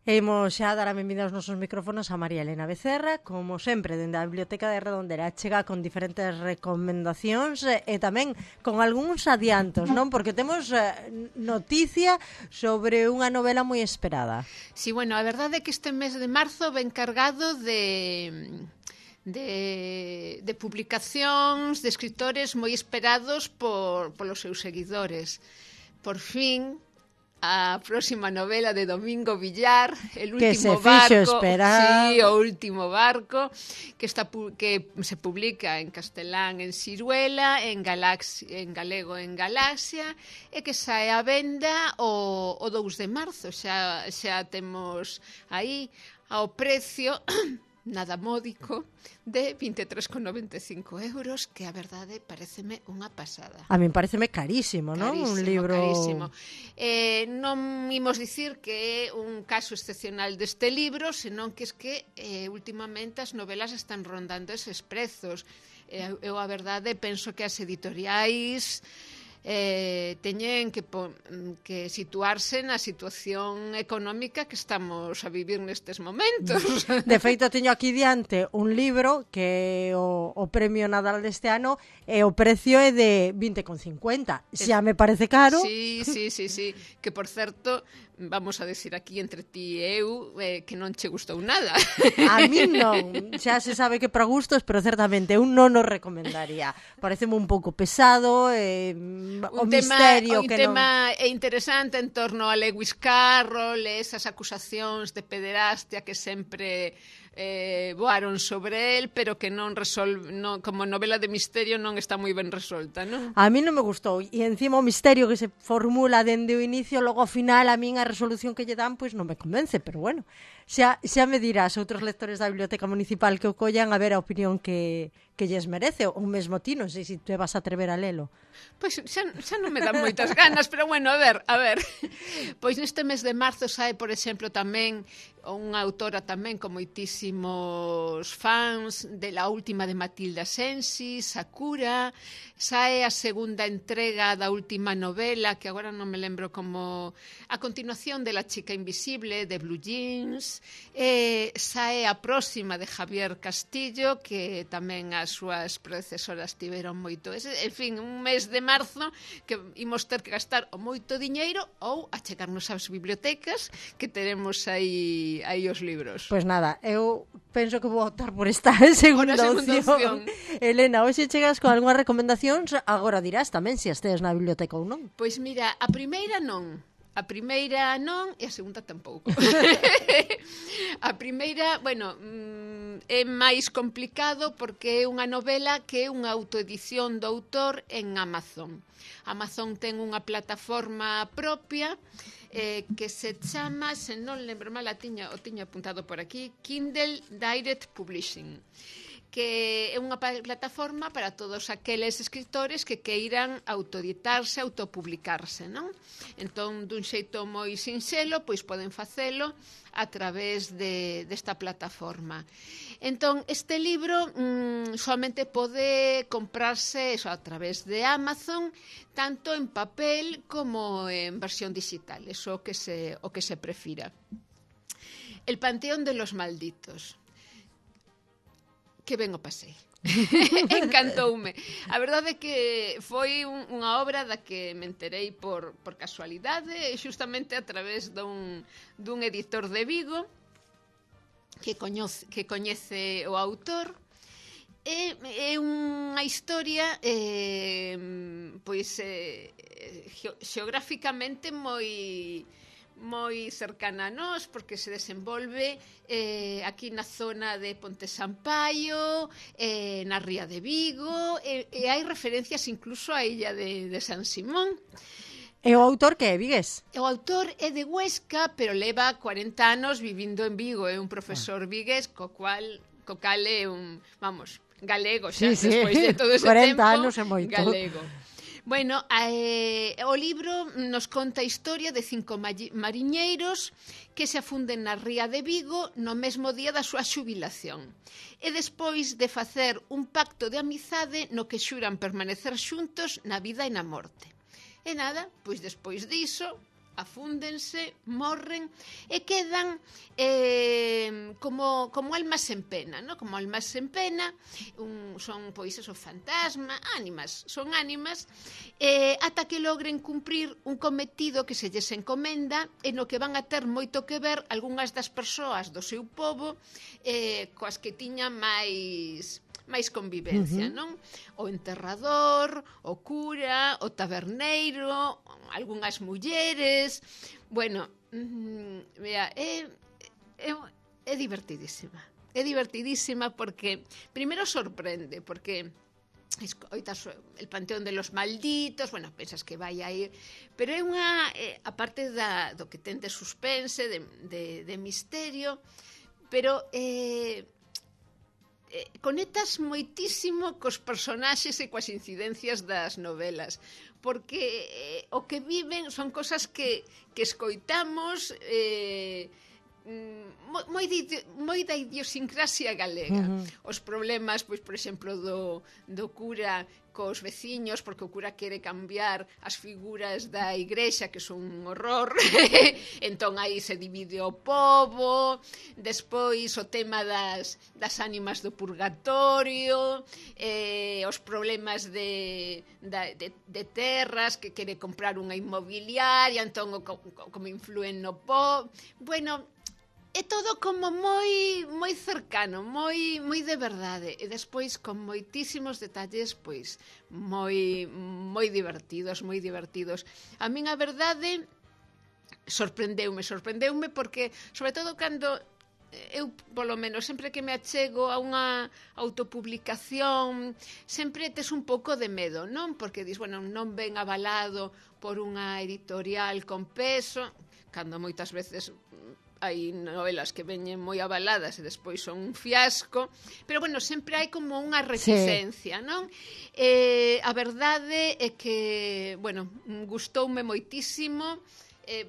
Imos xa dar a benvida aos nosos micrófonos a María Elena Becerra, como sempre, dende a Biblioteca de Redondela. Chega con diferentes recomendacións e tamén con algúns adiantos, non? Porque temos noticia sobre unha novela moi esperada. Sí, bueno, a verdade é que este mes de marzo ven cargado de publicacións de escritores moi esperados polos seus seguidores. Por fin, a próxima novela de Domingo Villar, El último barco, sí, O último barco, que se publica en castelán en Siruela, en galego en Galaxia, e que sae á venda o 2 de marzo. Xa temos aí ao precio nada módico de 23,95 €, que a verdade pareceme unha pasada. A min pareceme carísimo, non? Un libro carísimo. Non imos dicir que é un caso excepcional deste libro, senón que últimamente as novelas están rondando eses prezos. Eu a verdade penso que as editoriais teñen que situarse na situación económica que estamos a vivir nestes momentos. De feito, teño aquí diante un libro que o premio Nadal deste ano e o precio é de 20,50. Xa me parece caro. Sí. Que, por certo, vamos a decir aquí entre ti e eu que non che gustou nada. A mí non. Xa se sabe que para gustos, pero certamente eu non o recomendaría. Pareceme un pouco pesado, un tema interesante en torno a Lewis Carroll, esas acusacións de pederastia que sempre voaron sobre el, pero que como novela de misterio non está moi ben resolta, non? A mí non me gustou, e encima o misterio que se formula dende o inicio, logo ao final a min a resolución que lle dan pois non me convence, pero bueno, xa me dirás outros lectores da Biblioteca Municipal que o collan a ver a opinión que lles merece, ou mesmo ti, non sei se te vas a atrever a lelo. Pois xa non me dan moitas ganas, pero bueno, a ver. Pois neste mes de marzo sae, por exemplo, tamén unha autora tamén con moitísimos fans de La última de Matilda Sensi, Sakura. Sae a segunda entrega da última novela, que agora non me lembro como... A continuación de La chica invisible, de Blue Jeans. Sae a próxima de Javier Castillo, que tamén as súas predecesoras tiveron moito. En fin, un mes de marzo que imos ter que gastar moito diñeiro ou achegarnos ás bibliotecas, que teremos aí os libros. Pois nada, eu penso que vou optar por esta segunda opción. Elena, hoxe chegas con algunhas recomendacións, agora dirás tamén se as tedes na biblioteca ou non. Pois mira, a primeira non e a segunda tampouco. A primeira, bueno, é máis complicado porque é unha novela que é unha autoedición do autor en Amazon. Amazon ten unha plataforma propia que se chama, se non lembro mal, o tiña apuntado por aquí, Kindle Direct Publishing, que é unha plataforma para todos aqueles escritores que queiran autoeditarse, autopublicarse, non? Entón, dun xeito moi sinxelo, pois poden facelo a través desta plataforma. Entón, este libro solamente pode comprarse a través de Amazon, tanto en papel como en versión digital, eso o que se prefira. El Panteón de los Malditos. Que ben o pasei. Encantoume. A verdade é que foi unha obra da que me enterei por casualidade, xustamente a través dun editor de Vigo que coñece o autor. É unha historia xeográficamente moi cercana a nós, porque se desenvolve aquí na zona de Ponte Sampaio, na ría de Vigo, e hai referencias incluso á illa de San Simón. E o autor que é vigués? O autor é de Huesca, pero leva 40 anos vivindo en Vigo, é un profesor vigués, co cal é un, vamos, galego xa, despois de todo ese 40 tempo, anos é moito. Galego. Bueno, o libro nos conta a historia de 5 mariñeiros que se afunden na ría de Vigo no mesmo día da súa xubilación. E despois de facer un pacto de amizade no que xuran permanecer xuntos na vida e na morte. E nada, pois despois diso, afúndense, morren e quedan como almas en pena, ¿no? Como almas en pena, son pois esos fantasmas, son ánimas, ata que logren cumprir un cometido que se lles encomenda e no que van a ter moito que ver algunhas das persoas do seu pobo coas que tiñan máis convivencia, non? O enterrador, o cura, o taberneiro, algunhas mulleres. Bueno, mira, é divertidísima. É divertidísima porque primeiro sorprende, porque oitas el panteón de los malditos, bueno, pensas que vai a ir, pero é unha, aparte do que ten de suspense, de misterio, pero conectas moitísimo cos personaxes e coas incidencias das novelas, porque o que viven son cosas que escoitamos, moi da idiosincrasia galega. Os problemas, pois, por exemplo, do cura cos veciños, porque o cura quere cambiar as figuras da igrexa, que son un horror, entón aí se divide o pobo. Despois o tema das ánimas do purgatorio, os problemas de terras, que quere comprar unha inmobiliaria, entón como influen no pobo. Bueno, é todo como moi cercano, moi de verdade, e despois con moitísimos detalles, pois moi divertidos. A min a verdade sorprendeume porque, sobre todo cando eu, polo menos, sempre que me achego a unha autopublicación, sempre tes un pouco de medo, non? Porque dis, bueno, non ven avalado por unha editorial con peso, cando moitas veces hai novelas que veñen moi avaladas e despois son un fiasco, pero bueno, sempre hai como unha reticencia, non? A verdade é que, bueno, gustoume moitísimo,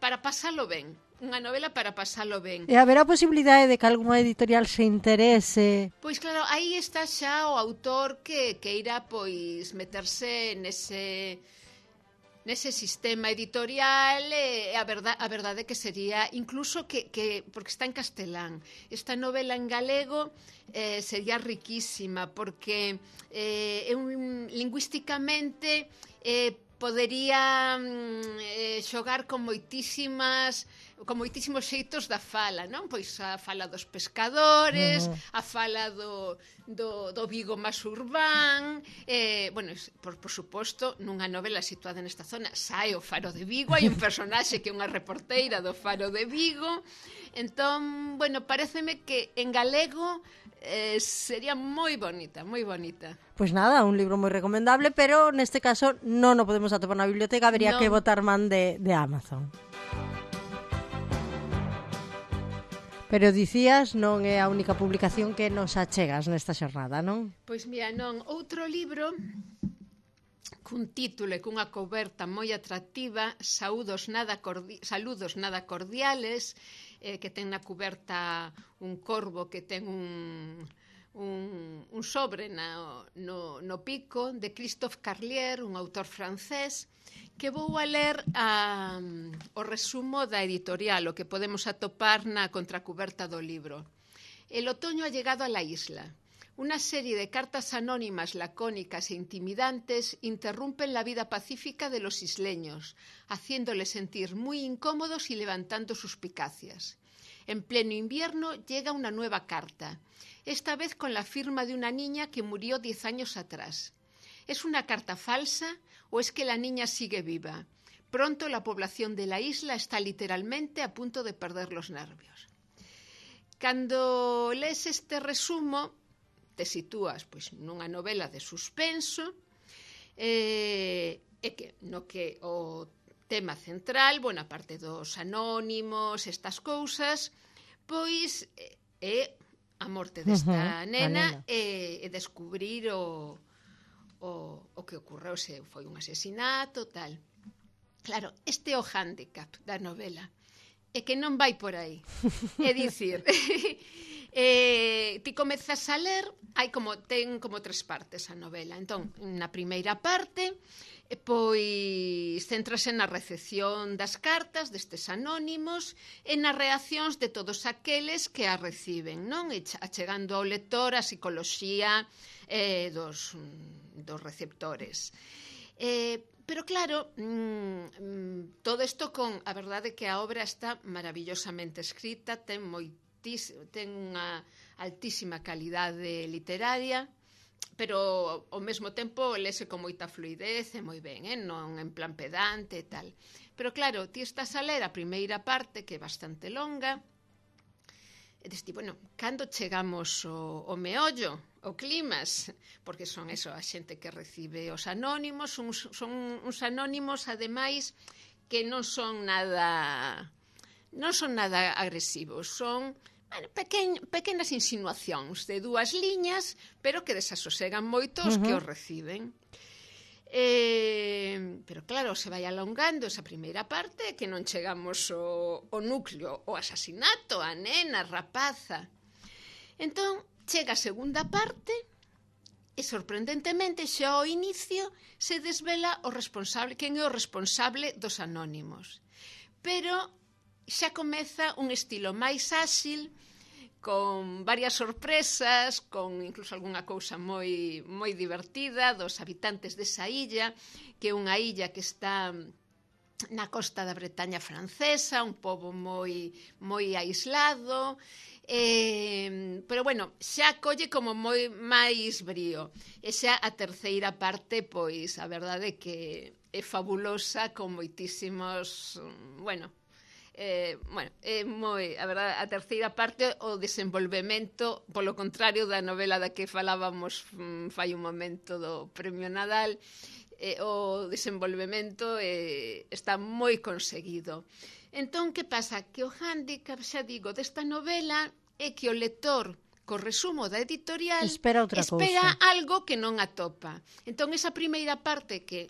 para pasalo ben, unha novela para pasalo ben. E haberá posibilidade de que algunha editorial se interese? Pois claro, aí está xa o autor que irá pois meterse nese sistema editorial, a verdade que sería incluso que porque está en castelán, esta novela en galego sería riquísima porque lingüísticamente podería xogar con moitísimos xeitos da fala, non? Pois a fala dos pescadores, a fala do Vigo máis urbán, bueno, por suposto, nunha novela situada nesta zona, sae o Faro de Vigo, hai un personaxe que é unha reporteira do Faro de Vigo, entón, bueno, paréceme que en galego sería moi bonita. Pois nada, un libro moi recomendable, pero neste caso non o podemos atopar na biblioteca, habería que botar man de Amazon. Pero dicías, non é a única publicación que nos achegas nesta xornada, non? Pois mira, non, outro libro cun título e cunha coberta moi atractiva, Saludos nada cordiales, que ten na cuberta un corvo que ten un sobre no pico, de Christophe Carlier, un autor francés, que vou a ler o resumo da editorial, o que podemos atopar na contracuberta do libro. El otoño ha llegado a la isla. Una serie de cartas anónimas, lacónicas e intimidantes interrumpen la vida pacífica de los isleños, haciéndoles sentir muy incómodos y levantando suspicacias. En pleno invierno llega una nueva carta, esta vez con la firma de una niña que murió 10 años atrás. ¿Es una carta falsa o es que la niña sigue viva? Pronto la población de la isla está literalmente a punto de perder los nervios. Cando lees este resumo, te sitúas pois nunha novela de suspenso, e que o tema central, bueno, aparte dos anónimos, estas cousas, pois é a morte desta nena e descubrir o que ocorreu, se foi un asesinato, tal. Claro, este é o hándicap da novela. é que non vai por aí. É dicir, ti comezas a ler, ten como 3 partes a novela. Entón, na primeira parte, pois céntrase na recepción das cartas destes anónimos e nas reaccións de todos aqueles que a reciben, non? E achegando ao lector a psicoloxía dos receptores. Pero claro, todo isto a verdade é que a obra está maravillosamente escrita, ten unha altísima calidade literaria, pero ao mesmo tempo lese con moita fluidez e moi ben, non en plan pedante e tal. Pero claro, ti estás a ler a primeira parte, que é bastante longa, e diste, bueno, cando chegamos ao meollo, ao climas, porque son eso, a xente que recibe os anónimos, son uns anónimos, ademais, que non son nada agresivos, son pequenas insinuacións de 2 liñas, pero que desasosegan moito os que os reciben. Pero claro, se vai alongando esa primeira parte que non chegamos ao núcleo, o asasinato, a nena, a rapaza. Entón, chega a segunda parte e sorprendentemente xa ao inicio se desvela quen é o responsable dos anónimos. Pero xa comeza un estilo máis áxil, con varias sorpresas, con incluso algunha cousa moi divertida dos habitantes desa illa, que é unha illa que está na costa da Bretaña francesa, un pobo moi aislado, pero bueno, xa colle como moi máis brío. E xa a terceira parte, pois, a verdade é que é fabulosa, con moitísimos, a verdade, a terceira parte, o desenvolvemento, polo contrario da novela da que falábamos fai un momento do Premio Nadal, o desenvolvemento está moi conseguido. Entón, que pasa? Que o hándicap, xa digo, desta novela é que o lector, co resumo da editorial, espera algo que non atopa. Entón, esa primeira parte que,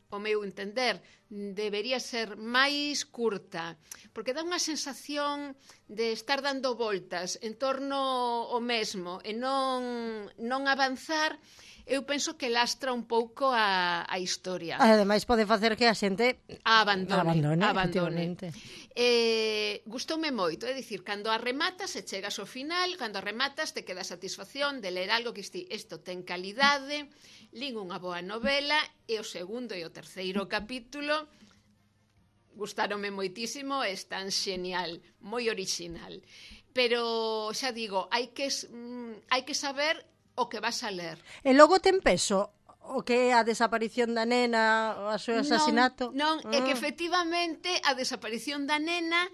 ao meu entender, debería ser máis curta, porque dá unha sensación de estar dando voltas en torno ao mesmo e non avanzar. Eu penso que lastra un pouco a historia. Ademais, pode facer que a xente abandone. Gustoume moito, é dicir, cando a rematas e chegas ao final, cando a rematas te queda a satisfacción de ler algo que isto ten calidade, lín unha boa novela, e o segundo e o terceiro capítulo gustáronme moitísimo, están xenial, moi orixinal. Pero, xa digo, hai que saber o que vas a ler. E logo ten peso o que é a desaparición da nena, o seu asasinato? Non, é que efectivamente a desaparición da nena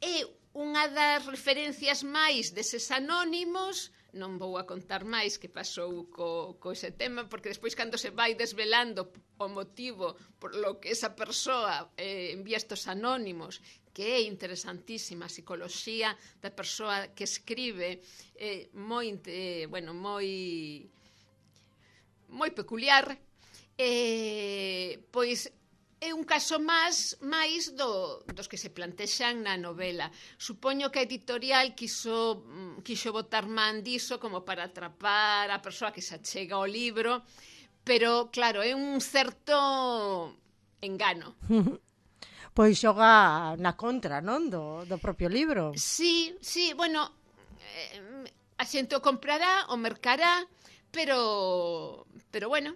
é unha das referencias máis deses anónimos. Non vou a contar máis que pasou co ese tema, porque despois cando se vai desvelando o motivo por lo que esa persoa envía estos anónimos, que é interesantísima a psicoloxía da persoa que escribe, moi peculiar, pois é un caso máis dos que se plantexan na novela. Supoño que a editorial quixo botar man diso como para atrapar a persoa que se achega ao libro, pero claro, é un certo engano. Pois xoga na contra, non? Do propio libro. Sí, bueno, a xente o comprará, o mercará, pero bueno,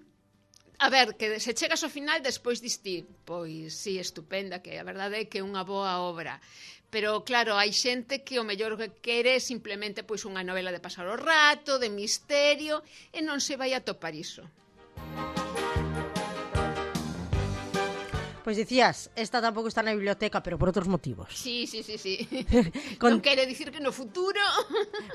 a ver, que se chegas ao final despois diste, pois sí, estupenda, que a verdade é que é unha boa obra. Pero claro, hai xente que o mellor que quere simplemente pois unha novela de pasar o rato, de misterio, e non se vai a topar iso. Pois dicías, esta tampouco está na biblioteca, pero por outros motivos. Sí. Non quere dicir que no futuro...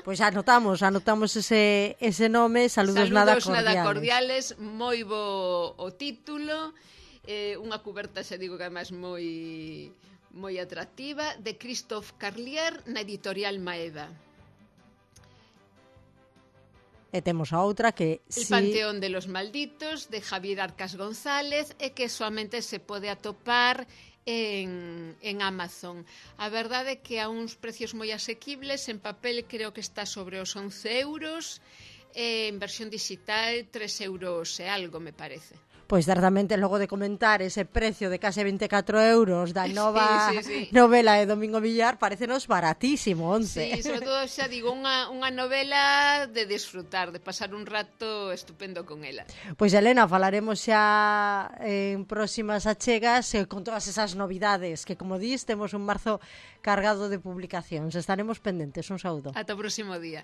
Pois anotamos ese nome, saludos nada cordiales, moi bo o título, unha cuberta, xa digo que además moi atractiva, de Christophe Carlier na editorial Maeda. E temos a outra que... El Panteón de los Malditos, de Javier Arcas González, e que soamente se pode atopar en Amazon. A verdade é que a uns precios moi asequibles, en papel creo que está sobre os 11 euros, en versión digital 3 euros e algo, me parece. Pois certamente logo de comentar ese precio de case 24 euros da nova sí. novela de Domingo Villar, parecenos baratísimo, 11. Sí, sobre todo, xa digo, unha novela de disfrutar, de pasar un rato estupendo con ela. Pois Elena, falaremos xa en próximas achegas con todas esas novidades que, como dis, temos un marzo cargado de publicacións. Estaremos pendentes. Un saúdo. Ata o próximo día.